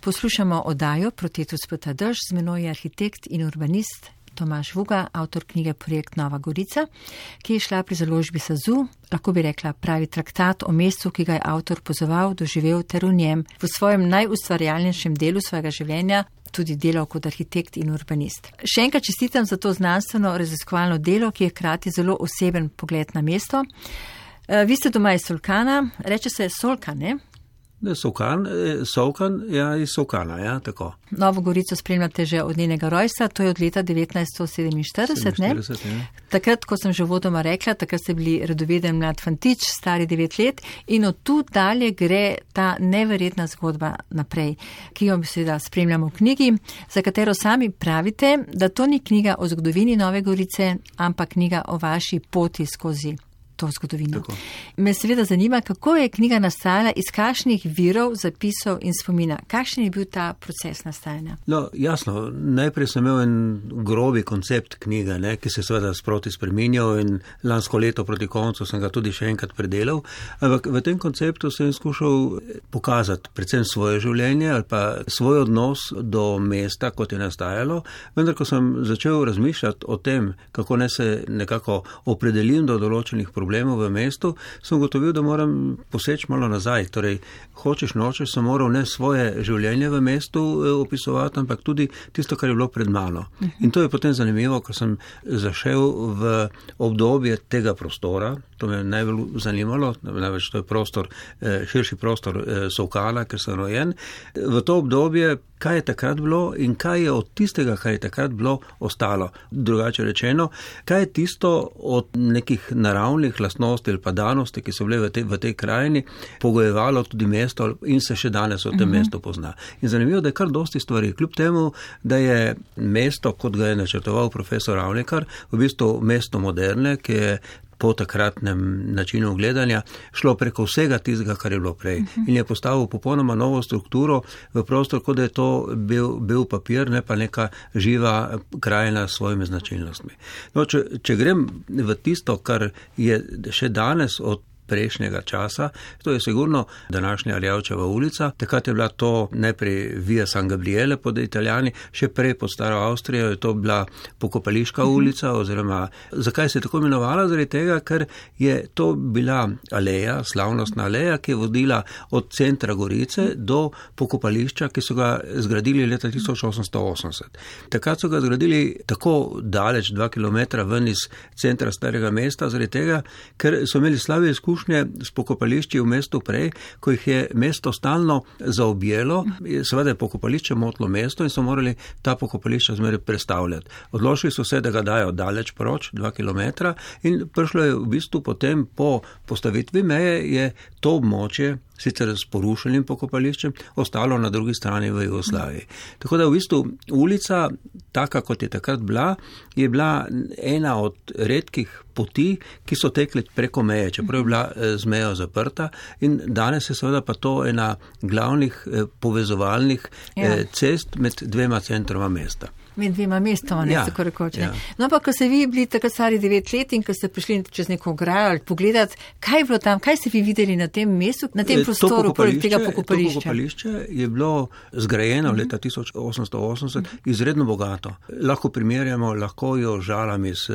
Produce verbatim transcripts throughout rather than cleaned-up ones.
Poslušamo oddajo Protetus Pota Dež, z menoj je arhitekt in urbanist Tomaž Vuga, avtor knjige Projekt Nova Gorica, ki je šla pri založbi Sazu, lahko bi rekla pravi traktat o mestu, ki ga je avtor pozoval, doživel ter v njem v svojem najustvarjalnejšem delu svojega življenja tudi delal kot arhitekt in urbanist. Še enkrat čestitam za to znanstveno raziskovalno delo, ki je hkrati zelo oseben pogled na mesto. Vi ste doma iz Solkana, reče se Solkan, ne? Solkan, Solkan, ja, iz Solkana, ja, tako. Novo Gorico spremljate že od njenega rojstva, to je od leta devetnajststo sedeminštirideset, ne? Ja. Takrat, ko sem že vodoma rekla, takrat ste bili radoveden mlad fantič, stari devet let in od tu dalje gre ta neverjetna zgodba naprej, ki jo seveda spremljamo v knjigi, za katero sami pravite, da to ni knjiga o zgodovini Nove Gorice, ampak knjiga o vaši poti skozi to zgodovino. Tako. Me seveda zanima, kako je knjiga nastajala, iz kakšnih virov, zapisov in spomina. Kakšen je bil ta proces nastajanja? No, jasno, najprej sem imel en grobi koncept knjige, ne, ki se seveda sproti spreminjal in lansko leto proti koncu sem ga tudi še enkrat predelal, ampak v tem konceptu sem skušal pokazati predvsem svoje življenje ali pa svoj odnos do mesta, kot je nastajalo, vendar ko sem začel razmišljati o tem, kako ne se nekako opredelim do določenih problemov, problemov v mestu, sem gotovil, da moram poseči malo nazaj. Torej, hočeš nočeš, sem moral ne svoje življenje v mestu opisovati, ampak tudi tisto, kar je bilo pred mano. In to je potem zanimivo, ko sem zašel v obdobje tega prostora, to me je najbolj zanimalo, največ to je prostor, širši prostor Solkana, ker sem rojen. V to obdobje, kaj je takrat bilo in kaj je od tistega, kaj je takrat bilo, ostalo. Drugače rečeno, kaj je tisto od nekih naravnih lastnosti ali pa danosti, ki so bile v tej, v tej krajini, pogojevalo tudi mesto in se še danes v tem mm-hmm. mestu pozna. In zanimivo, da je kar dosti stvari. Kljub temu, da je mesto, kot ga je načrtoval profesor Ravnikar, v bistvu mesto moderne, ki je po takratnem načinu gledanja šlo preko vsega tistega, kar je bilo prej. Uh-huh. In je postavil popolnoma novo strukturo v prostor, kot da je to bil, bil papir, ne pa neka živa krajina s svojimi značilnostmi. No, če, če grem v tisto, kar je še danes od prejšnjega časa, to je sigurno današnja Arjavčeva ulica, takrat je bila to najprej Via San Gabriele pod Italijani, še prej pod Staro Avstrijo je to bila Pokopališka mm-hmm. ulica, oziroma zakaj se je tako imenovala? Zaradi tega, ker je to bila aleja, slavnostna aleja, ki je vodila od centra Gorice do pokopališča, ki so ga zgradili leta tisoč osemsto osemdeset. Takrat so ga zgradili tako daleč, dva kilometra ven iz centra starega mesta, zaradi tega, ker so imeli slabe izkušnje s pokopališči v mestu prej, ko jih je mesto stalno zaobjelo, seveda je pokopališče motlo mesto in so morali ta pokopališča zmeraj prestavljati. Odločili so se, da ga dajo daleč proč, dva kilometra, in prišlo je v bistvu potem po postavitvi meje, je to območje, sicer s porušenim pokopališčem, ostalo na drugi strani v Jugoslaviji. Tako da v bistvu ulica, taka kot je takrat bila, je bila ena od redkih poti, ki so tekle preko meje, čeprav je bila z mejo zaprta, in danes je seveda pa to ena glavnih povezovalnih ja. cest med dvema centroma mesta. Med dvema mestoma, ne, ja, tako rekoče. Ja. No, pa ko ste vi bili tako stari devet let in ko ste prišli čez neko ograjo ali pogledati, kaj je bilo tam, kaj ste vi videli na tem mestu, na tem prostoru, poleg tega pokopališča? To pokopališče je bilo zgrajeno mm-hmm. leta tisoč osemsto osemdeset mm-hmm. izredno bogato. Lahko primerjamo, lahko jo žalami s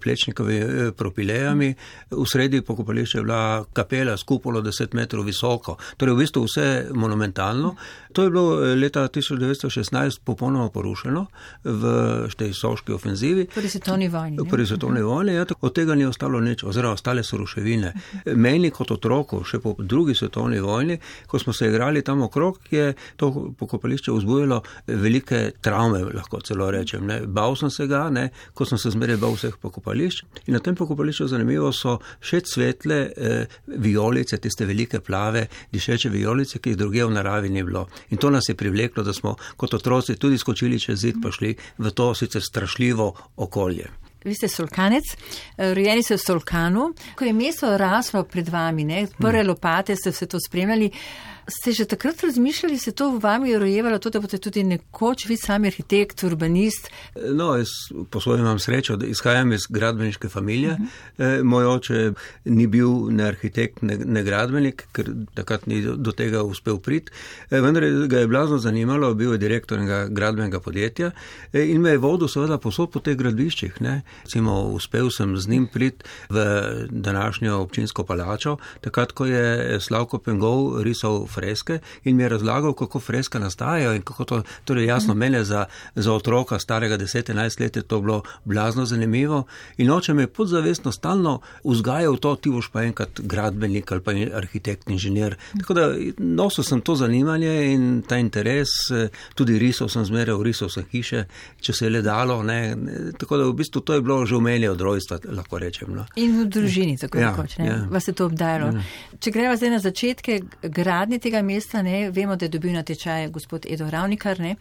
plečnikovimi propilejami. V sredi pokopališča je bila kapela s kupolo deset metrov visoko. Torej v bistvu vse monumentalno. To je bilo leta tisoč devetsto šestnajst popolnoma porušeno v tej soški ofenzivi. Prvi svetovni vojni. Prvi svetovni vojni, ja, od tega ni ostalo nič, oziroma ostale so ruševine. Meni kot otroku, še po drugi svetovni vojni, ko smo se igrali tam okrog, je to pokopališče vzbujalo velike travme, lahko celo rečem. Ne. Bal sem se ga, ne, ko sem se zmeraj bal vseh pokopališč. In na tem pokopališču zanimivo so še cvetle eh, vijolice, tiste velike plave, dišeče vijolice, ki jih drugje v naravi ni bilo. In to nas je privleklo, da smo kot otroci tudi skočili čez zid, pa šli v to sicer strašljivo okolje. Vi ste Solkanec, rojeni ste v Solkanu. Ko je mesto raslo pred vami, ne, prve lopate ste vse to spremljali, Ste že takrat razmišljali, se to v vami rojevalo, to, da boste tudi nekoč vi sami arhitekt, urbanist? No, jaz po svojem imam srečo, da izhajam iz gradbeniške familije. Uh-huh. Moj oče ni bil ne arhitekt, ne, ne gradbenik, ker takrat ni do tega uspel priti. Vendar ga je blazno zanimalo, bil je direktor enega gradbenega podjetja in me je vodil seveda posod po teh gradbiščih. Ne. Recimo, uspel sem z njim priti v današnjo občinsko palačo, takrat, ko je Slavko Pengov risal freske in mi je razlagal, kako freska nastajajo in kako to, torej jasno, mene za, za otroka starega deset enajst let je to bilo blazno zanimivo in oče me je podzavestno stalno vzgajal to, ti boš pa enkrat gradbenik ali pa arhitekt, inženir. Tako da nosil sem to zanimanje in ta interes, tudi risal sem zmeraj, risal sem hiše, če se je le dalo, ne. Tako da v bistvu to je bilo že v meni od rojstva, lahko rečem. No. In v družini, tako ja, rekoč, ne? Ja. Vas je to obdajalo. Ja. Če greva zdaj na začetke gradnje tega mesta, ne, vemo, da je dobil na tečaj gospod Edo Ravnikar, ne,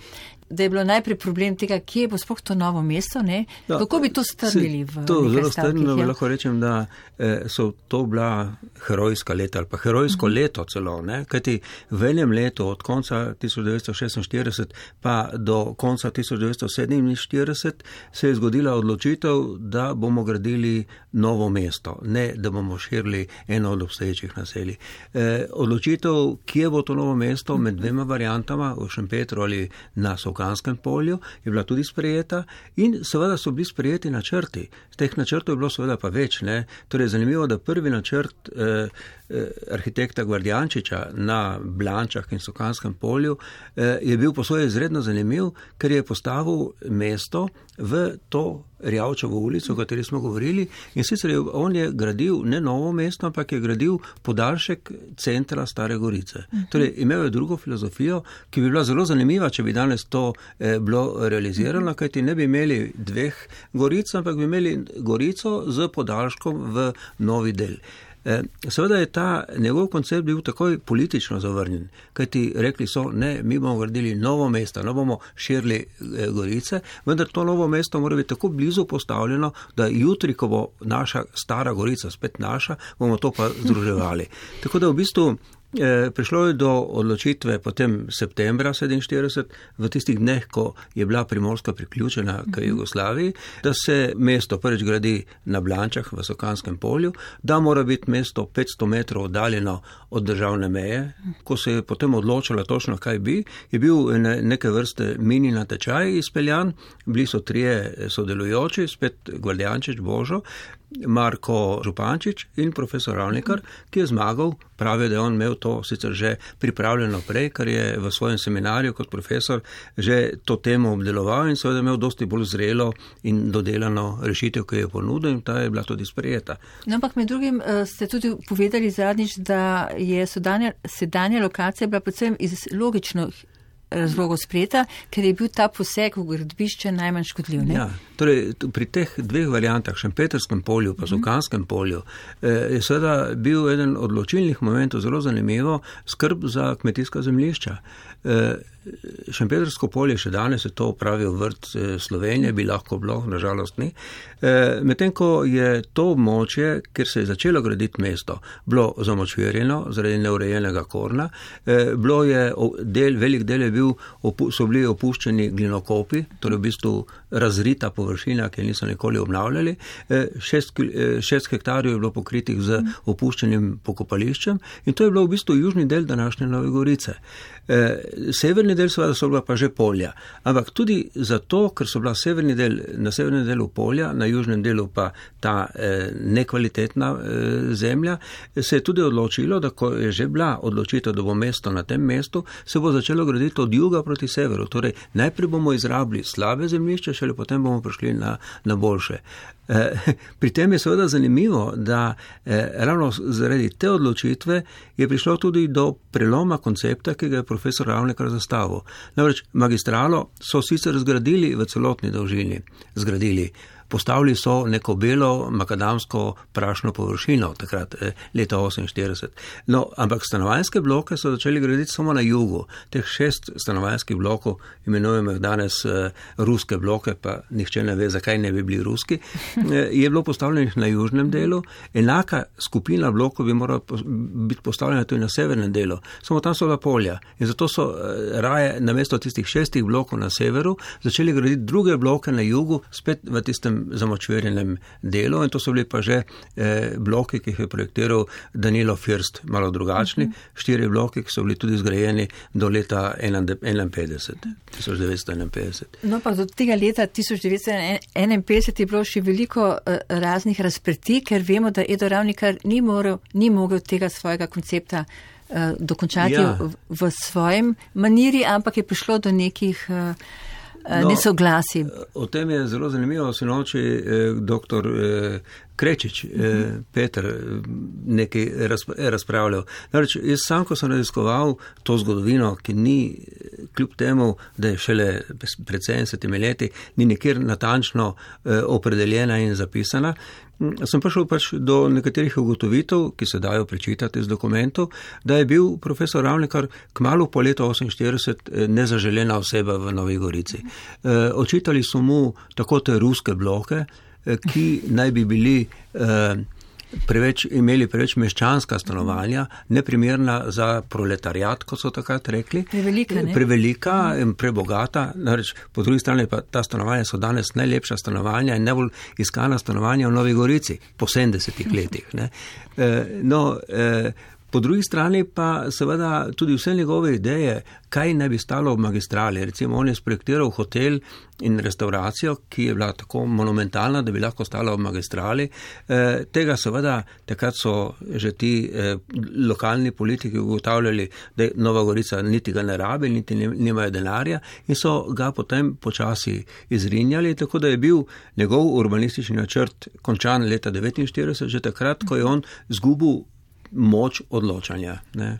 da je bilo najprej problem tega, kje bo sploh to novo mesto, ne, no, kako bi to strnili v to nekaj zelo stavkih? Strnilo, Ja? lahko rečem, da eh, so to bila herojska leta ali pa herojsko mm-hmm. leto celo, ne, kajti v enem letu od konca tisoč devetsto šestinštirideset pa do konca tisoč devetsto sedeminštirideset se je zgodila odločitev, da bomo gradili novo mesto, ne da bomo širili eno od obstoječih naselij. Eh, odločitev, kje bo to novo mesto med dvema variantama, v Šempetru ali na Solkanskem polju, je bila tudi sprejeta in seveda so bili sprejeti načrti. Z teh načrtov je bilo seveda pa več. Ne? Torej, zanimivo, da prvi načrt eh, eh, arhitekta Gvardjančiča na Blančah in Solkanskem polju eh, je bil po svoje izredno zanimiv, ker je postavil mesto v to Rjavčevo ulico, o kateri smo govorili, in sicer je, on je gradil ne novo mesto, ampak je gradil podaljšek centra Stare Gorice. Uh-huh. Torej, imel je drugo filozofijo, ki bi bila zelo zanimiva, če bi danes to eh, bilo realizirano, uh-huh. kajti ne bi imeli dveh Goric, ampak bi imeli Gorico z podaljškom v novi del. Seveda je ta njegov koncept bil takoj politično zavrnjen, kajti rekli so, ne, mi bomo gradili novo mesto, ne bomo širili Gorice, vendar to novo mesto mora biti tako blizu postavljeno, da jutri, ko bo naša Stara Gorica spet naša, bomo to pa združevali. Tako da v bistvu prišlo je do odločitve potem septembra sedeminštirideset, v tistih dneh, ko je bila Primorska priključena k Jugoslaviji, da se mesto prvič gradi na Blančah v Solkanskem polju, da mora biti mesto petsto metrov oddaljeno od državne meje. Ko se je potem odločilo točno, kaj bi, je bil neke vrste mini natečaj izpeljan, bili so trije sodelujoči, spet Gvardjančič, Božo, Marko Župančič in profesor Ravnikar, ki je zmagal. Pravi, da je on imel to sicer že pripravljeno prej, ker je v svojem seminarju kot profesor že to temo obdeloval in seveda imel dosti bolj zrelo in dodelano rešitev, ki je ponudil, in ta je bila tudi sprejeta. No, ampak med drugim ste tudi povedali zadnjič, da je sedanja, sedanja lokacija bila predvsem iz logičnih razlogov sprejeta, ker je bil ta poseg v gradbišče najmanj škodljiv. Ne? Ja, torej pri teh dveh variantah, Šempetrskem polju pa Solkanskem polju, je seveda bil eden od odločilnih momentov zelo zanimivo skrb za kmetijska zemljišča. Šempetrsko polje še danes je to upravil vrt Slovenije, bi lahko bilo, nažalost ni. Medtem ko je to območje, kjer se je začelo graditi mesto, bilo zamočvirjeno zaradi neurejenega korna, bilo je del, velik del je bil, so bili opuščeni glinokopi, torej v bistvu razrita površina, ki niso nikoli obnavljali. Šest, šest hektarjev je bilo pokritih z opuščenim pokopališčem in to je bilo v bistvu južni del današnje Nove Gorice. Severni del seveda so bila pa že polja, ampak tudi zato, ker so bila severni del, na severnem delu polja, na južnem delu pa ta eh, nekvalitetna eh, zemlja, se je tudi odločilo, da ko je že bila odločitev, da bo mesto na tem mestu, se bo začelo graditi od juga proti severu. Torej, najprej bomo izrabili slabe zemljišče, šele potem bomo prišli na, na boljše. Eh, pri tem je seveda zanimivo, da eh, ravno zaradi te odločitve je prišlo tudi do preloma koncepta, ki ga je profesor Ravnikar zastavil. Namreč magistralo so sicer zgradili v celotni dolžini, zgradili. postavili so neko belo makadamsko prašno površino, takrat leta oseminštirideset. No, ampak stanovanjske bloke so začeli graditi samo na jugu. Teh šest stanovanjskih blokov, imenujemo jih danes ruske bloke, pa nihče ne ve, zakaj ne bi bili ruski, je bilo postavljenih na južnem delu. Enaka skupina blokov bi morala biti postavljena tudi na severnem delu. Samo tam so bila polja. In zato so raje namesto tistih šestih blokov na severu začeli graditi druge bloke na jugu, spet v tistem zamočverjenem delu. In to so bili pa že eh, bloki, ki jih je projektiral Danilo First, malo drugačni. Uh-huh. Štiri bloki, ki so bili tudi zgrajeni do leta enainpetdeset, tisoč devetsto enainpetdeset. No, pa do tega leta tisoč devetsto enainpetdeset je bilo še veliko uh, raznih razprti, ker vemo, da Edo Ravnikar ni, morel, ni mogel tega svojega koncepta uh, dokončati ja. v, v svojem maniri, ampak je prišlo do nekih uh, no, nesoglasij. O tem je zelo zanimivo sinoči eh, doktor eh, Krečič, eh, Peter, nekaj razpravljal. Namreč, jaz sam, ko sem raziskoval to zgodovino, ki ni, kljub temu, da je šele pred sedemdesetimi leti, ni nikjer natančno eh, opredeljena in zapisana, sem prišel pač do nekaterih ugotovitev, ki se dajo prečitati iz dokumentov, da je bil profesor Ravnikar kmalu po letu oseminštirideset nezaželena oseba v Novi Gorici. Eh, očitali so mu tako te ruske bloke, ki naj bi bili eh, preveč, imeli preveč meščanska stanovanja, neprimerna za proletariat, kot so takrat rekli. Prevelika, ne? Prevelika in prebogata. Nareč, po drugi strani pa ta stanovanja so danes najlepša stanovanja in najbolj iskana stanovanja v Novi Gorici po sedemdesetih letih. Ne? Eh, no, eh, Po drugi strani pa seveda tudi vse njegove ideje, kaj naj bi stalo ob magistrali. Recimo on je sprojektiral hotel in restauracijo, ki je bila tako monumentalna, da bi lahko stala ob magistrali. E, tega seveda takrat so že ti e, lokalni politiki ugotavljali, da Nova Gorica niti ga ne rabi, niti nimajo denarja in so ga potem počasi izrinjali, tako da je bil njegov urbanistični načrt končan leta devetinštirideset, že takrat, ko je on zgubil moč odločanja. Ne.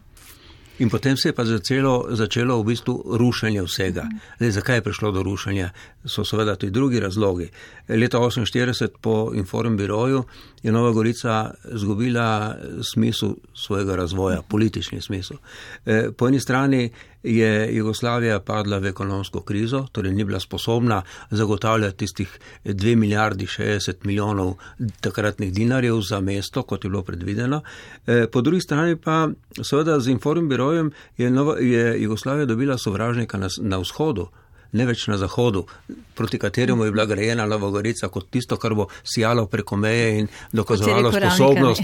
In potem se je pa začelo, začelo v bistvu rušenje vsega. Zdaj, zakaj je prišlo do rušenja? So seveda tudi drugi razlogi. Leta oseminštirideset po Informbiroju je Nova Gorica zgubila smisel svojega razvoja, politični smisel. E, po eni strani je Jugoslavija padla v ekonomsko krizo, torej ni bila sposobna zagotavljati tistih dve milijardi šestdeset milijonov takratnih dinarjev za mesto, kot je bilo predvideno. E, po drugi strani pa seveda z Informbirojem je, Nova, je Jugoslavija dobila sovražnika na, na vzhodu, ne več na zahodu, proti kateremu je bila grajena Nova Gorica kot tisto, kar bo sijalo preko meje in dokazovalo sposobnost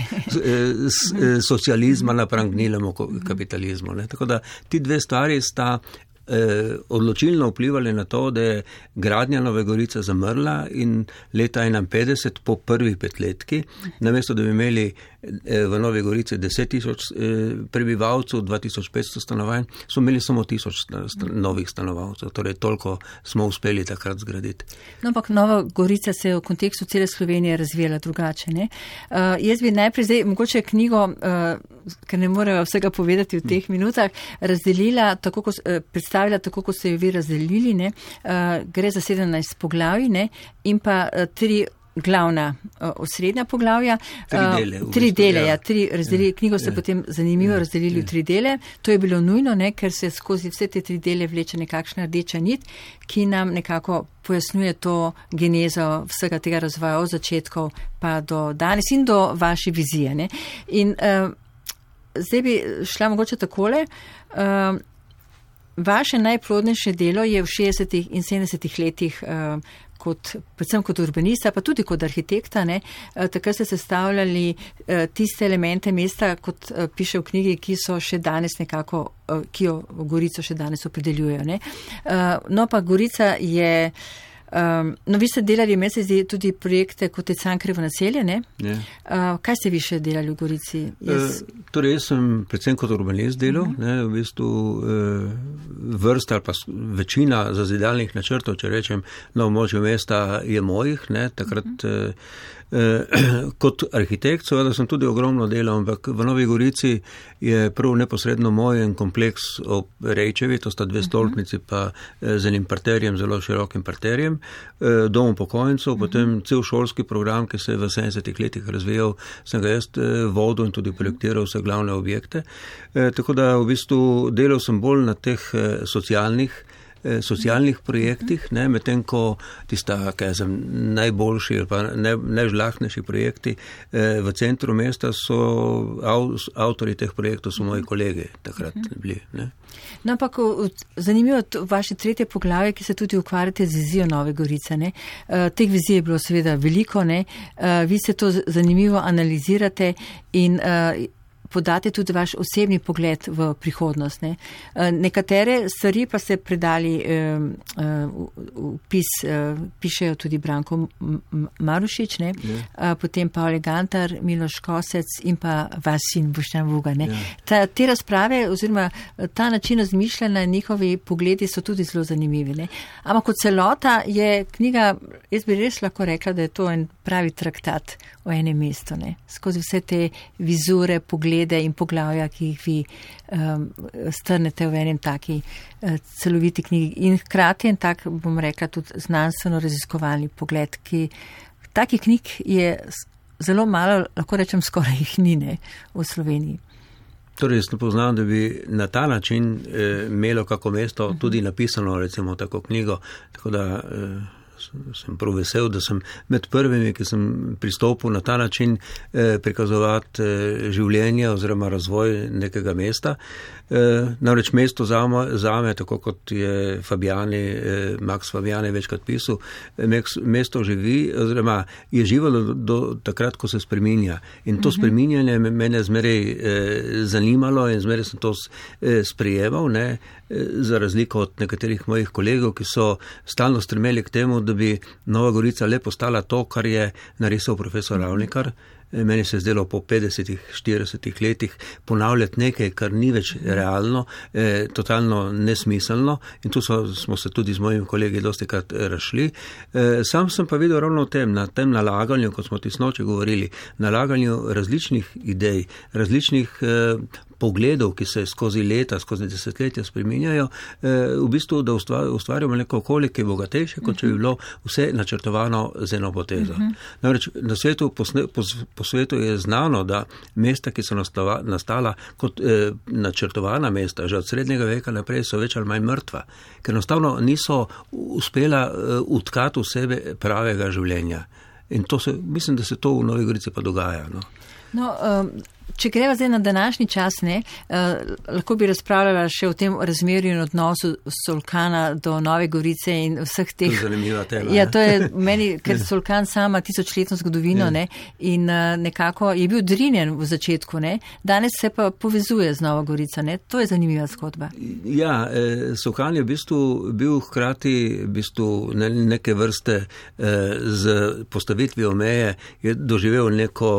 socializma napram gnilemu kapitalizmu. Ne. Tako da ti dve stvari sta eh, odločilno vplivali na to, da je gradnja Nove Gorice zamrla in leta enainpetdeset po prvih petletki, namesto da bi imeli eh, v Novi Gorici deset tisoč eh, prebivalcev, dva tisoč petsto stanovanj, so imeli samo tisoč st- novih stanovalcev, torej toliko smo uspeli takrat zgraditi. No, ampak Nova Gorica se je v kontekstu cele Slovenije razvijala drugače. Ne? Uh, jaz bi najprej zdaj mogoče knjigo, uh, ker ne morejo vsega povedati v teh minutah, razdelila tako, ko, uh, predstavila tako, kot ste jo vi razdelili. Ne? Uh, gre za sedemnajst poglavij, ne? In pa uh, tri glavna uh, osrednja poglavja. Tri dele. Uh, tri dele, ja. Tri razdelili, knjigo ste ja. potem zanimivo ja. razdelili ja. v tri dele. To je bilo nujno, ne? Ker se skozi vse te tri dele vleče nekakšna rdeča nit, ki nam nekako pojasnjuje to genezo vsega tega razvoja od začetkov pa do danes in do vaše vizije. Ne? In uh, zdaj bi šla mogoče takole. Uh, vaše najplodnejše delo je v šestdesetih in sedemdesetih letih uh, kot, predvsem kot urbanista, pa tudi kot arhitekta, ne, takrat ste sestavljali tiste elemente mesta, kot piše v knjigi, ki so še danes nekako, ki jo Gorico še danes opredeljujejo. Ne. No pa Gorica je, no vi ste delali, meni se zdi, tudi projekte kot je Cankarjevo naselje, ne? Ja. Kaj ste vi še delali v Gorici? Jaz... E, torej, jaz sem predvsem kot urbanist delal, uh-huh. ne, v bistvu e, vrsta ali pa večina zazidalnih načrtov, če rečem, na območju mesta je mojih, ne, takrat uh-huh. Kot arhitekt seveda sem tudi ogromno delal, ampak v Novi Gorici je prav neposredno moj en kompleks ob Rejčevi, to sta dve stolpnici pa z enim parterjem, zelo širokim parterjem, dom upokojencev, potem cel šolski program, ki se je v sedemdesetih letih razvijal, sem ga jaz vodil in tudi projektiral vse glavne objekte. Tako da v bistvu delal sem bolj na teh socialnih socialnih projektih, ne, medtem ko tista, kaj sem, najboljši ali pa naj, najžlahtnejši projekti eh, v centru mesta so av, avtori teh projektov so moji kolegi takrat bili. Ne. No, ampak zanimivo vaše tretje poglavje, ki se tudi ukvarjate z vizijo Nove Gorice. Ne. Uh, teh vizij je bilo seveda veliko, ne. Uh, vi se to zanimivo analizirate in uh, podate tudi vaš osebni pogled v prihodnost. Ne. Nekatere stvari pa ste predali v pis, pišejo tudi Branko Marušič, ne. Ja. Potem Pavle Gantar, Miloš Kosec in pa vaš sin Boštjan Vuga. Ne. Ja. Ta, te razprave oziroma ta način razmišljanja, njihovi pogledi so tudi zelo zanimivi. Ne. Ampak kot celota je knjiga, jaz bi res lahko rekla, da je to en pravi traktat o enem mestu. Ne. Skozi vse te vizure, poglede in poglavja, ki jih vi um, strnete v enem taki uh, celoviti knjigi. In hkrati en tak, bom rekla, tudi znanstveno raziskovalni pogled, ki takih knjig je zelo malo, lahko rečem, skoraj jih ni, ne, v Sloveniji. Torej, jaz ne poznam, da bi na ta način eh, imelo kako mesto tudi napisano, recimo, tako knjigo, tako da eh, sem prav vesel, da sem med prvimi, ki sem pristopil na ta način eh, prikazovati eh, življenje oziroma razvoj nekega mesta. Eh, namreč mesto zame, zame, tako kot je Fabiani, eh, Max Fabiani večkrat pisal, eh, mesto živi oziroma je živelo do, do takrat, ko se spreminja. In to uh-huh. spreminjanje mene zmeraj eh, zanimalo in zmeraj sem to eh, sprejemal, ne, eh, za razliko od nekaterih mojih kolegov, ki so stalno stremeli k temu, da bi Nova Gorica le postala to, kar je narisal profesor Ravnikar. Meni se je zdelo po petdesetih, štiridesetih letih ponavljati nekaj, kar ni več realno, eh, totalno nesmiselno in tu so, smo se tudi z mojimi kolegi dosti krat razšli. Eh, sam sem pa videl ravno v tem, na tem nalaganju, kot smo tisnoči govorili, nalaganju različnih idej, različnih eh, pogledov, ki se skozi leta, skozi desetletja spreminjajo, eh, v bistvu, da ustvarjamo neko okolje, ki je bogatejše, kot če bi bilo vse načrtovano z eno potezo. Uh-huh. Namreč na svetu, po, po, po svetu je znano, da mesta, ki so nastala, nastala kot eh, načrtovana mesta, že od srednjega veka naprej so več ali manj mrtva, ker enostavno niso uspela eh, utkati v sebe pravega življenja. In to se, mislim, da se to v Novi Gorici pa dogaja. No, no um... Če greva zdaj na današnji čas, ne, eh, lahko bi razpravljala še o tem razmerju in odnosu Solkana do Nove Gorice in vseh teh. To je zanimiva tema. Ja, to je meni, ker Solkan sama tisočletno zgodovino, ne, in uh, nekako je bil drinjen v začetku, ne, danes se pa povezuje z Novo Gorico, ne, to je zanimiva zgodba. Ja, eh, Solkan je v bistvu bil hkrati v bistvu ne, neke vrste eh, z postavitvijo meje, je doživel neko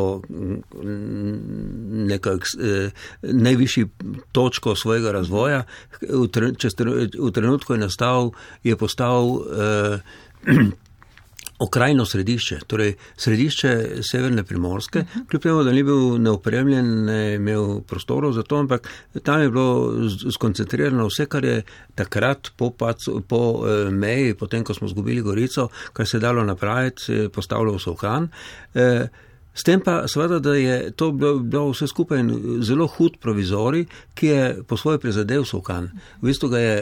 neko eh, najvišji točko svojega razvoja. V, tre, čez, v trenutku je nastal, je postal eh, okrajno središče, torej središče severne Primorske, uh-huh. kljub temu, da ni bil neopremljen, ne imel prostorov za to, ampak tam je bilo skoncentrirano vse, kar je takrat po, pac, po eh, meji, potem, ko smo zgubili Gorico, kar se je dalo napraviti, postavljal Solkan. Eh, S tem pa seveda, da je to bilo, bilo vse skupaj zelo hud provizorij, ki je po svoje prizadel Solkan. V bistvu ga je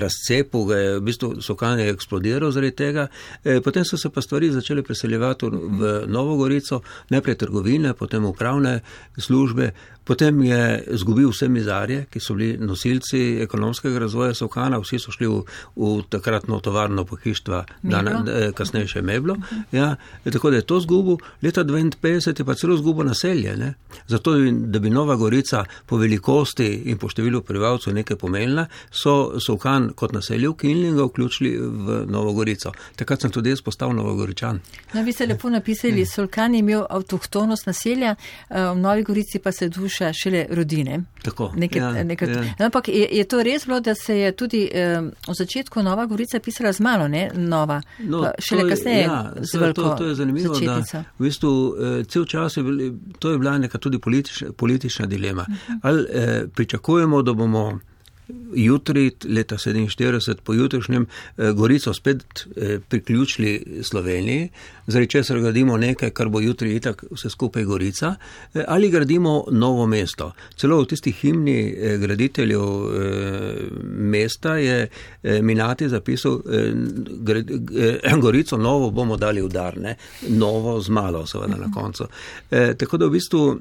razcepil, ga je, v bistvu Solkan je eksplodiral zaradi tega. E, potem so se pa stvari začele preseljevati v Novo Gorico, najprej trgovine, potem upravne službe, potem je zgubil vse mizarje, ki so bili nosilci ekonomskega razvoja Solkana, vsi so šli v, v takratno tovarno pohištva, dan, kasneje še Meblo. Ja, tako da je to zgubil. Leta dvainpetdeset sedeminšestdeset je pa celo zgubo naselje. Ne? Zato, da bi Nova Gorica po velikosti in po številu prebivalcev nekaj pomenila, so Solkan kot naselje ukinili in ga vključili v Novo Gorico. Takrat sem tudi jaz postal Novogoričan. No, vi ste lepo napisali, Solkan je imel avtohtonost naselja, v Novi Gorici pa se duša šele rodine. Tako. Nekaj, ja, nekaj, ja. No, ampak je, je to res bilo, da se je tudi eh, v začetku Nova Gorica pisala z malo, ne? Nova. No, šele je, kasneje ja, z veliko to, to je zanimivo, začetnico. Da v bistvu eh, cel čas je, bil, to je bila neka tudi politična, politična dilema. Uh-huh. Ali eh, pričakujemo, da bomo jutri, leta sedeminštirideset, po jutrišnjem eh, Gorico spet eh, priključili Sloveniji, zaradi česar gradimo nekaj, kar bo jutri itak vse skupaj Gorica, eh, ali gradimo novo mesto. Celo v tistih himni eh, graditeljev eh, mesta je eh, Minati zapisal, eh, grad, eh, Gorico novo bomo dali v dar, ne? Novo z malo, seveda na koncu. Eh, tako da v bistvu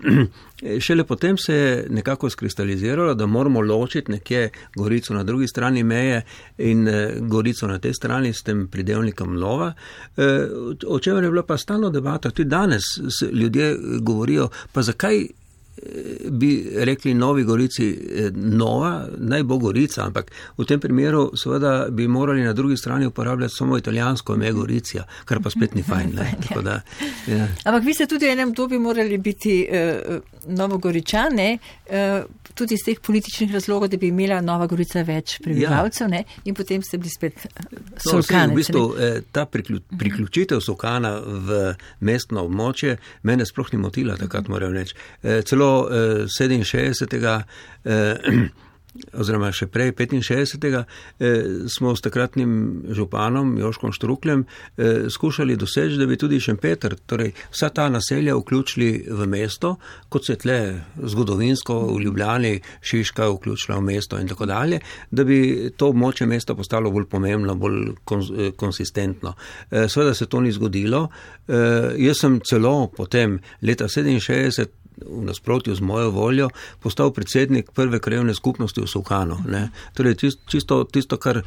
šele potem se je nekako skristaliziralo, da moramo ločiti nekje Gorico na drugi strani meje in eh, Gorico na tej strani s tem pridevnikom Nova. Eh, o čemer je bila pa stalno debata, tudi danes ljudje govorijo, pa zakaj bi rekli Novi Gorici Nova, naj bo Gorica, ampak v tem primeru seveda bi morali na drugi strani uporabljati samo italijansko ime Goricija, kar pa spet ni fajn. Ne? Tako da, ja. Ampak vi ste tudi v enem dobi morali biti uh, Novogoričane, uh, tudi iz teh političnih razlogov, da bi imela Nova Gorica več prebivalcev, ja. In potem ste bili spet Solkanec. No, v bistvu, ta priklju, priključitev Solkana v mestno območje mene sploh ni motila, takrat moram reči. Celo sedeminšestdesetega oziroma še prej petinšestdesetega smo s takratnim županom Joškom Štrukljem skušali doseči, da bi tudi Šempeter, torej vsa ta naselja vključili v mesto, kot se tle zgodovinsko v Ljubljani Šiška vključila v mesto in tako dalje, da bi to območje mesta postalo bolj pomembno, bolj konsistentno. Seveda se to ni zgodilo. Jaz sem celo potem leta sedeminšestdeset v nasprotju z mojo voljo postal predsednik prve krajevne skupnosti v Solkanu. Ne? Torej, čisto tisto, kar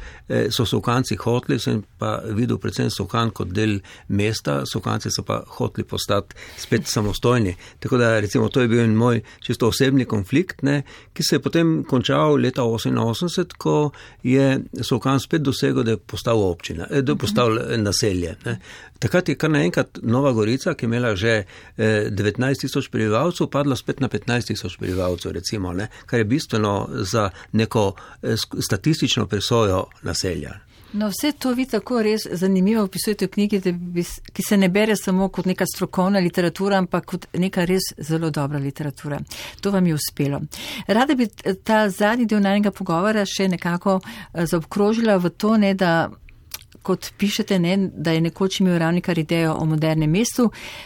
so Solkanci hoteli, sem pa videl predvsem Solkan kot del mesta, Solkanci so pa hoteli postati spet samostojni. Tako da, recimo, to je bil moj čisto osebni konflikt, ne? Ki se je potem končal leta oseminosemdeset, ko je Solkan spet dosegel, da je postal občina, da je postal naselje. Ne? Takrat je kar naenkrat Nova Gorica, ki je imela že devetnajst tisoč prebivalcev, padla spet na petnajst tisoč prebivalcev, recimo, ne? Kar je bistveno za neko statistično presojo naselja. No, vse to vi tako res zanimivo opisujete v knjigi, da bi, ki se ne bere samo kot neka strokovna literatura, ampak kot neka res zelo dobra literatura. To vam je uspelo. Rada bi ta zadnji del najnega pogovora še nekako zaobkrožila v to, ne, da kot pišete, ne, da je nekoč imel Ravnikar idejo o modernem mestu,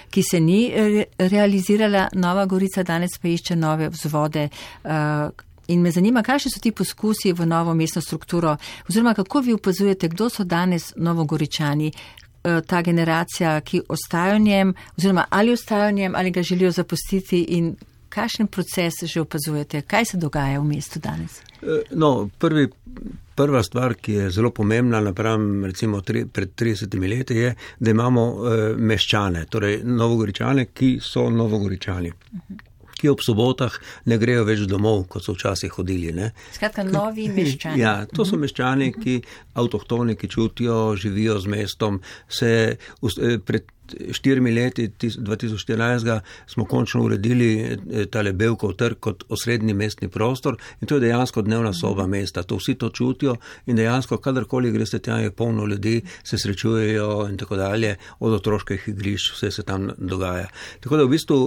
ki se ni re- realizirala, Nova Gorica danes pa išče nove vzvode. Uh, in me zanima, kakšni so ti poskusi v novo mestno strukturo, oziroma kako vi opazujete, kdo so danes Novogoričani, uh, ta generacija, ki ostajajo v njem, oziroma ali ostajajo v njem, ali ga želijo zapustiti in kakšen proces že opazujete, kaj se dogaja v mestu danes? No, prvi Prva stvar, ki je zelo pomembna napram recimo tri, pred tridesetimi leti, je, da imamo e, meščane, torej Novogoričane, ki so Novogoričani, uh-huh. ki ob sobotah ne grejo več domov, kot so včasih hodili. Ne? Skratka, novi meščani. Ja, to so meščani, ki avtohtoni, ki čutijo, živijo z mestom, se pred štirimi leti, dva tisoč štirinajst, smo končno uredili tale Bevkov trg kot osrednji mestni prostor in to je dejansko dnevna soba mesta. To vsi to čutijo in dejansko, kadarkoli greste tja, je polno ljudi, se srečujejo in tako dalje, od otroških igrišč, vse se tam dogaja. Tako da v bistvu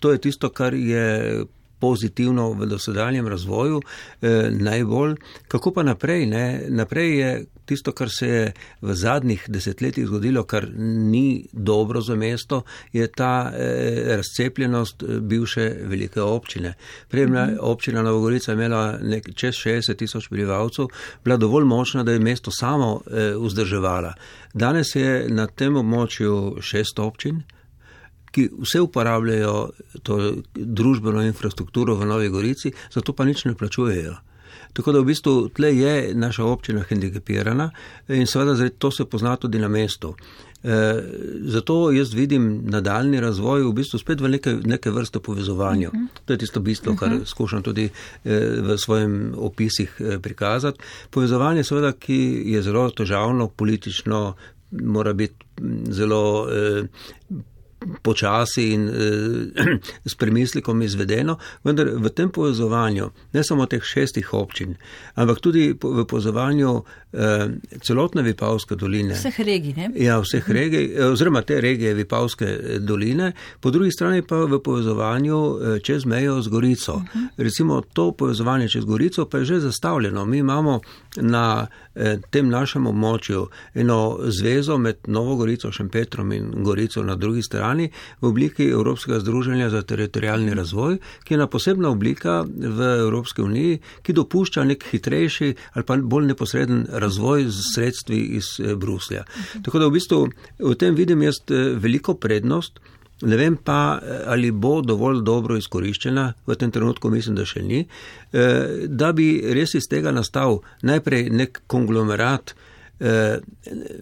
to je tisto, kar je pozitivno v dosedanjem razvoju eh, najbolj. Kako pa naprej? Ne? Naprej je tisto, kar se je v zadnjih desetletjih zgodilo, kar ni dobro za mesto, je ta eh, razcepljenost bivše velike občine. Prejemna mm-hmm. občina Nova Gorica je imela nek, čez šestdeset tisoč prebivalcev, bila dovolj močna, da je mesto samo eh, vzdrževala. Danes je na tem območju šest občin, ki vse uporabljajo to družbeno infrastrukturo v Novi Gorici, zato pa nič ne plačujejo. Tako da v bistvu tle je naša občina hendikepirana in seveda to se pozna tudi na mestu. Zato jaz vidim nadaljni razvoj v bistvu spet v neke, neke vrste povezovanja. Uh-huh. To je tisto bistvo, kar uh-huh. skušam tudi v svojim opisih prikazati. Povezovanje seveda, ki je zelo težavno, politično, mora biti zelo eh, počasi in eh, s premislikom izvedeno, vendar v tem povezovanju, ne samo teh šestih občin, ampak tudi v povezovanju eh, celotne Vipavske doline. Vseh regij, ne? Ja, vseh uh-huh. regij, oziroma te regije Vipavske doline, po drugi strani pa v povezovanju eh, čez mejo z Gorico. Uh-huh. Recimo to povezovanje čez Gorico pa je že zastavljeno. Mi imamo na eh, tem našem območju eno zvezo med Novo Gorico, Šempetrom in Gorico na drugi strani v obliki Evropskega združenja za teritorijalni razvoj, ki je ena posebna oblika v Evropski uniji, ki dopušča nek hitrejši ali pa bolj neposreden razvoj z sredstvi iz Bruslja. Uh-huh. Tako da v bistvu v tem vidim jaz veliko prednost, ne vem pa, ali bo dovolj dobro izkoriščena, v tem trenutku mislim, da še ni, da bi res iz tega nastal najprej nek konglomerat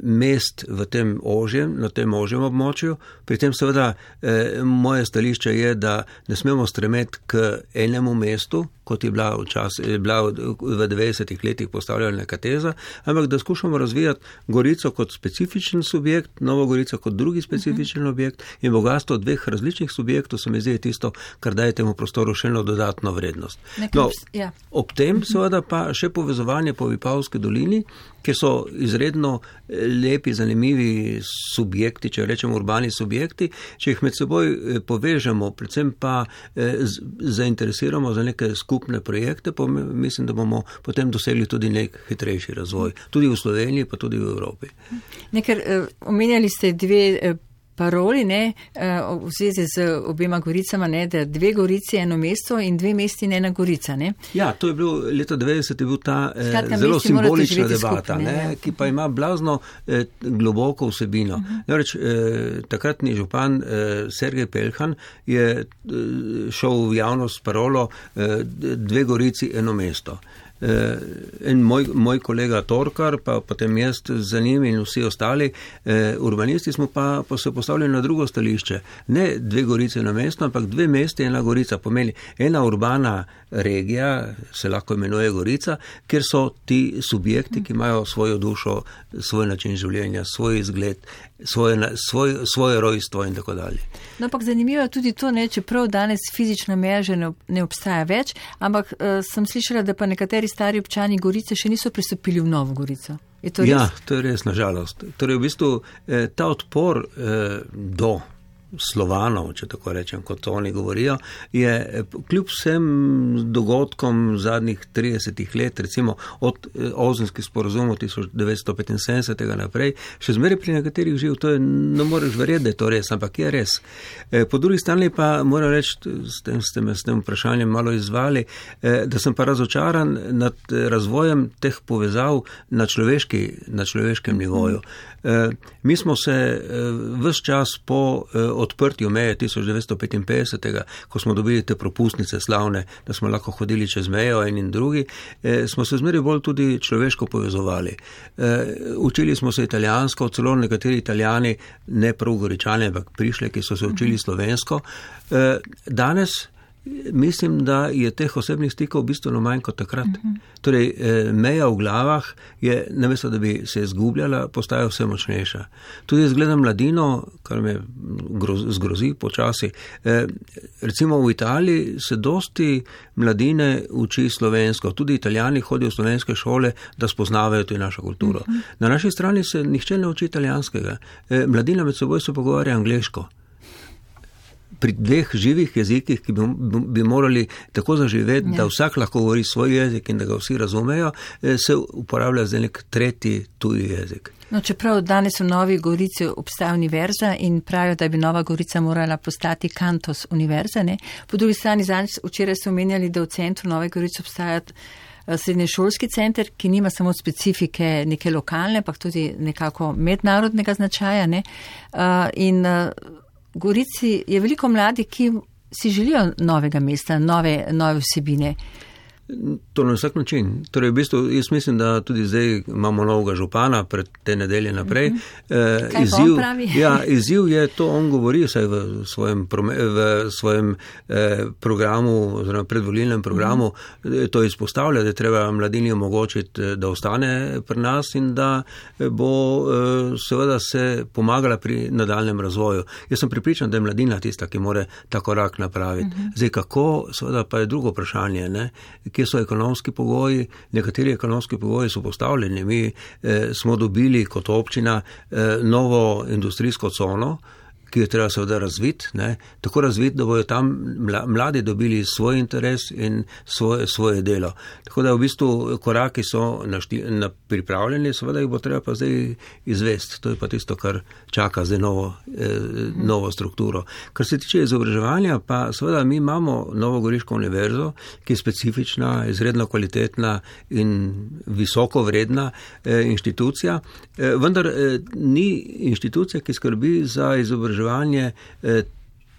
mest v tem ožjem, na tem ožjem območju. Pri tem seveda eh, moje stališče je, da ne smemo stremeti k enemu mestu, kot je bila, včas, je bila v devetdesetih letih postavljena neka teza, ampak da skušamo razvijati Gorico kot specifičen subjekt, Novo Gorico kot drugi specifičen uh-huh. objekt in bogatstvo dveh različnih subjektov se mi zdi tisto, kar daje temu prostoru še eno dodatno vrednost. No, ja. Ob tem seveda pa še povezovanje po Vipavski dolini, kjer so izredno lepi, zanimivi subjekti, če rečemo urbani subjekti, če jih med seboj povežemo, predvsem pa zainteresiramo za neke skupne projekte, pa mislim, da bomo potem dosegli tudi nek hitrejši razvoj. Tudi v Sloveniji, pa tudi v Evropi. Nekaj, omenjali ste dve paroli, ne, v zvezi z obema Goricama, ne, da dve Gorici, eno mesto in dve mesti in ena Gorica, ne? Ja, to je bilo, leta devetdeset je bil ta Skratka, zelo simbolična debata, skupne, ne, ki pa ima blazno eh, globoko vsebino. Uh-huh. Reč, eh, takratni župan eh, Sergej Peljhan je eh, šel v javnost s parolo eh, dve Gorici, eno mesto. In moj, moj kolega Torkar, pa potem jaz za njim in vsi ostali eh, urbanisti smo pa, pa se postavili na drugo stališče. Ne dve Gorice na mesto, ampak dve mesti, ena Gorica. Pomeni ena urbana regija, se lahko imenuje Gorica, kjer so ti subjekti, ki imajo svojo dušo, svoj način življenja, svoj izgled, svoje, svoj, svoje rojstvo in tako dalje. No, ampak zanimivo je tudi to, ne, čeprav danes fizična meja že ne, ne obstaja več, ampak uh, sem slišala, da pa nekateri stari občani Gorice še niso pristopili v Novo Gorico. Je to res? Ja, to je res, nažalost. Torej, v bistvu, eh, ta odpor eh, do Slovanov, če tako rečem, kot oni govorijo, je kljub vsem dogodkom zadnjih tridesetih let, recimo od Ozenskih sporazumov tisoč devetsto petinsedemdeset naprej, še zmeraj pri nekaterih živ, to je, ne moreš verjeti, da je to res, ampak je res. Po drugi strani pa moram reči, s tem ste me s tem vprašanjem malo izzvali, da sem pa razočaran nad razvojem teh povezav na, človeški, na človeškem nivoju. Mi smo se ves čas po odprtju meje tisoč devetsto petinpetdeset, ko smo dobili te propustnice slavne, da smo lahko hodili čez mejo en in drugi, smo se zmeraj bolj tudi človeško povezovali. Učili smo se italijansko, celo nekateri Italijani, ne prav Goričani, ampak prišli, ki so se učili slovensko. Danes mislim, da je teh osebnih stikov bistveno manj kot takrat. Uh-huh. Torej, meja v glavah je, namesto da bi se izgubljala, postaja vse močnejša. Tudi jaz gledam mladino, kar me zgrozi počasi. Recimo v Italiji se dosti mladine uči slovensko. Tudi Italijani hodijo v slovenske šole, da spoznavajo to našo kulturo. Uh-huh. Na naši strani se nihče ne uči italijanskega. Mladina med seboj se pogovarja angleško. Pri dveh živih jezikih, ki bi, bi morali tako zaživeti, ja. Da vsak lahko govori svoj jezik in da ga vsi razumejo, se uporablja za nek tretji tuji jezik. No, čeprav danes v Novi Gorici obstaja univerza in pravijo, da bi Nova Gorica morala postati kantos univerza, ne? Po drugi strani, zadnjič včeraj ste omenjali, da v centru Nove Gorice obstaja srednješolski center, ki nima samo specifike neke lokalne, pa tudi nekako mednarodnega značaja, ne? In v Gorici je veliko mladih, ki si želijo novega mesta, nove, nove vsebine. To na vsak način. Torej, v bistvu, jaz mislim, da tudi zdaj imamo novega župana pred te nedelje naprej. Mm-hmm. Kaj izziv, on pravi? Ja, izziv je to, on govori vsaj v svojem, v svojem eh, programu, oziroma predvolilnem programu, mm-hmm. to izpostavlja, da treba mladini omogočiti, da ostane pri nas in da bo eh, seveda se pomagala pri nadaljnem razvoju. Jaz sem pripričan, da je mladina tista, ki more ta korak napraviti. Mm-hmm. Zdaj, kako, seveda pa je drugo vprašanje, ne? Kje so ekonomski pogoji, nekateri ekonomski pogoji so postavljeni. Mi eh, smo dobili kot občina eh, novo industrijsko cono, ki jo treba seveda razviti, ne? Tako razviti, da bojo tam mladi dobili svoj interes in svoje, svoje delo. Tako da v bistvu koraki so našti, na pripravljeni, seveda jih bo treba pa zdaj izvesti. To je pa tisto, kar čaka zdaj novo, eh, novo strukturo. Kar se tiče izobraževanja, pa seveda mi imamo Novogoriško univerzo, ki je specifična, izredno kvalitetna in visoko vredna eh, inštitucija, eh, vendar eh, ni inštitucija, ki skrbi za izobraževanje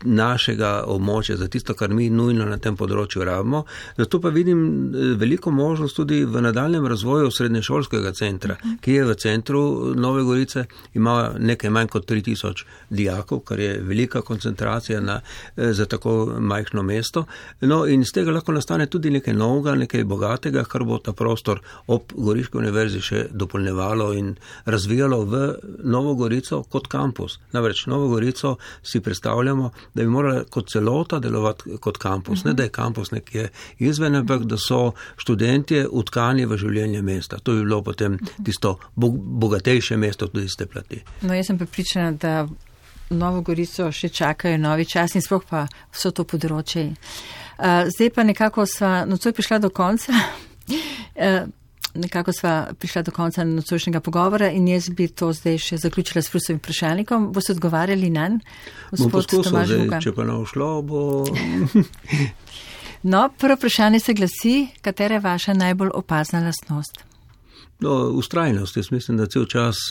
našega območja, za tisto, kar mi nujno na tem področju rabimo. Zato pa vidim veliko možnost tudi v nadaljnem razvoju srednješolskega centra, ki je v centru Nove Gorice, ima nekaj manj kot tri tisoč dijakov, kar je velika koncentracija na, za tako majhno mesto. No in z tega lahko nastane tudi nekaj novega, nekaj bogatega, kar bo ta prostor ob Goriški univerzi še dopolnevalo in razvijalo v Novo Gorico kot kampus. Namreč Novo Gorico si predstavljamo, da bi morala kot celota delovati kot kampus. Ne, da je kampus nekje izven, ampak da so študentje utkani v življenje mesta. To bi bilo potem tisto bogatejše mesto tudi iz te plati. No, jaz sem prepričana, da Novo Gorico še čakajo novi čas in sploh pa vso to področje. Zdaj pa nekako sva nocoj prišla do konca. Nekako sva prišla do konca nocojšnjega pogovora in jaz bi to zdaj še zaključila s Prusovim vprašalnikom. Boste odgovarjali nanj, gospod Tomaž Vuga? Če pa ne ušlo, bo... No, prvo vprašanje se glasi, katera je vaša najbolj opazna lastnost? No, ustrajnost. Jaz mislim, da cel čas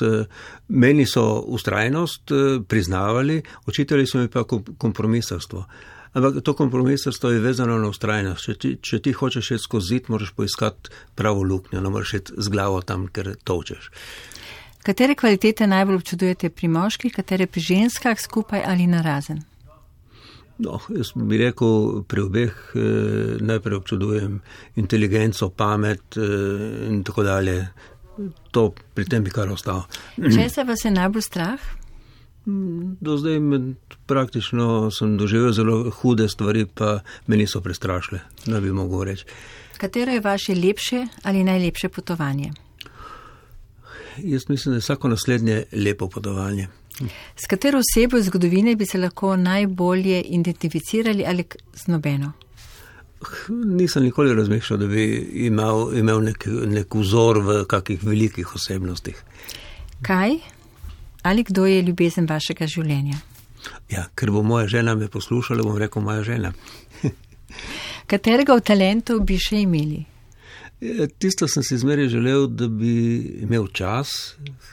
meni so ustrajnost priznavali, očitali so mi pa kompromisarstvo. Ampak to kompromisarstvo je vezano na ustrajnost. Če ti, če ti hočeš iti skozi zid, moraš poiskati pravo luknjo, ne moraš iti z glavo tam, ker točeš. Katere kvalitete najbolj občudujete pri moških, katere pri ženskah, skupaj ali narazen? No, jaz bi rekel, pri obeh eh, najprej občudujem inteligenco, pamet eh, in tako dalje. To pri tem bi kar ostalo. Če se vas je najbolj strah? Do zdaj med, praktično sem doživel zelo hude stvari, pa me niso prestrašile, ne bi mogel reči. Katero je vaše lepše ali najlepše potovanje? Jaz mislim, da je vsako naslednje lepo potovanje. S katero osebo iz zgodovine bi se lahko najbolje identificirali ali z nobeno? Nisem nikoli razmišljal, da bi imel, imel nek, nek vzor v kakih velikih osebnostih. Kaj? Ali kdo je ljubezen vašega življenja? Ja, ker bo moja žena me poslušala, bom rekel moja žena. Katerega od talentov bi še imeli? Tisto sem si zmeraj želel, da bi imel čas,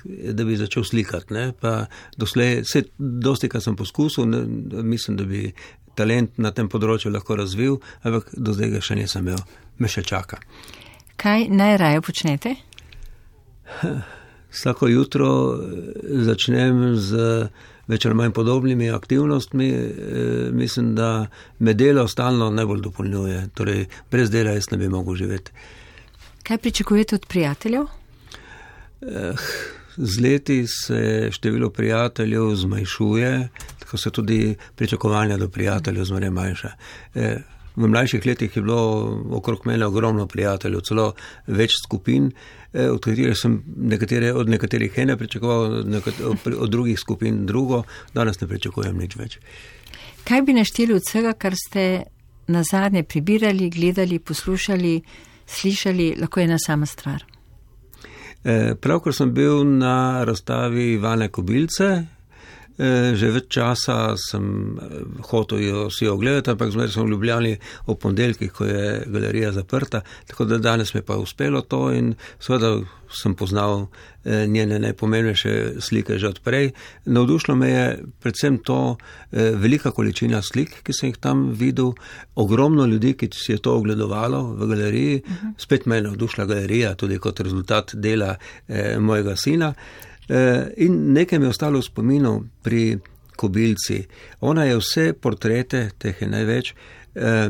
da bi začel slikati. Ne? Pa doslej, vse, dosti, kar sem poskusil, ne, mislim, da bi talent na tem področju lahko razvil, ampak do zdaj ga še nisem imel. Me še čaka. Kaj najraje počnete? Vsako jutro začnem z več ali manj podobnimi aktivnostmi. Mislim, da me delo stalno najbolj dopolnjuje. Torej, brez dela jaz ne bi mogel živeti. Kaj pričakujete od prijateljev? Z leti se število prijateljev zmanjšuje, tako se tudi pričakovanja do prijateljev zmeraj manjša. V mlajših letih je bilo okrog mene ogromno prijateljev, celo več skupin, od katerih sem nekatere, od nekaterih ene pričakoval, od drugih skupin drugo, danes ne pričakujem nič več. Kaj bi našteli od vsega, kar ste nazadnje prebirali, gledali, poslušali, slišali, lahko je ena sama stvar? Pravkar sem bil na razstavi Ivane Kobilce, Že več časa sem hotel jo si ogledati, ampak zmeraj sem v Ljubljani v ponedeljkih, ko je galerija zaprta, tako da danes mi pa je uspelo to in seveda sem poznal njene najpomembnejše slike že odprej. Navdušilo me je predvsem to velika količina slik, ki sem jih tam videl, ogromno ljudi, ki si je to ogledovalo v galeriji, uh-huh. Spet me je navdušila galerija, tudi kot rezultat dela eh, mojega sina. In nekaj mi je ostalo v spominu pri Kobilci. Ona je vse portrete, teh je največ, eh,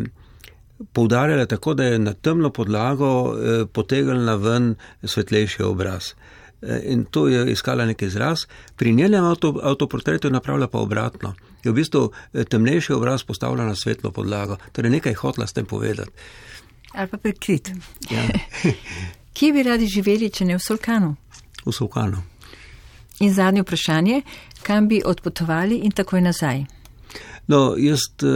poudarjala tako, da je na temno podlago eh, potegnila ven svetlejši obraz. Eh, in to je iskala nek izraz. Pri njenem avto, avtoportretu je napravila pa obratno. Je v bistvu temnejši obraz postavila na svetlo podlago. Torej nekaj hotla s tem povedati. Ali pa prikrit. Ja. Kje bi radi živeli, če ne v Solkanu? V Solkanu. In zadnje vprašanje, kam bi odpotovali in takoj nazaj? No, jaz e,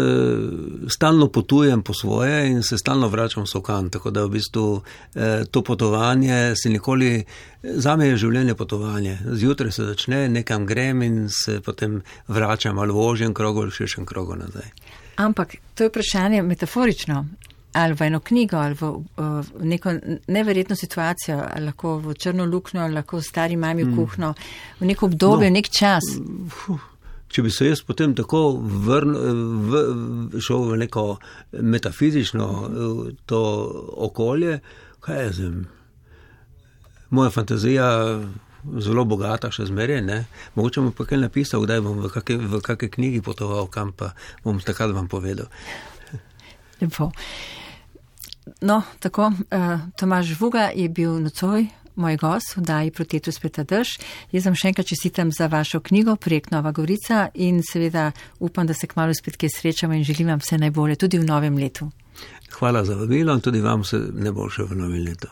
stalno potujem po svoje in se stalno vračam v Solkan, tako da v bistvu e, to potovanje se nikoli, zame je življenje potovanje. Zjutraj se začne, nekam grem in se potem vračam ali v ožjem krogu ali širšem krogu nazaj. Ampak to je vprašanje metaforično. Ali v eno knjigo, ali v, v neko neverjetno situacijo, ali lahko v črno luknjo, ali lahko v stari mami v kuhno, v neko obdobje, no, nek čas. Če bi se jaz potem tako vrn, v, šel v neko metafizično to okolje, kaj je zem? Moja fantazija zelo bogata še zmeraj, ne? Mogoče bom pa kaj napisal, kdaj bom v kakej, v kakej knjigi potoval, kam pa bom takrat vam povedal. Lepo. No, tako, uh, Tomaž Žvuga je bil nocoj moj gost v oddaji Proti vetru sveta dež. Jaz vam še enkrat čestitam za vašo knjigo, projekt Nova Gorica in seveda upam, da se kmalu spet kje srečamo in želim vam vse najbolje tudi v novem letu. Hvala za vabilo in tudi vam vse najboljše v novem letu.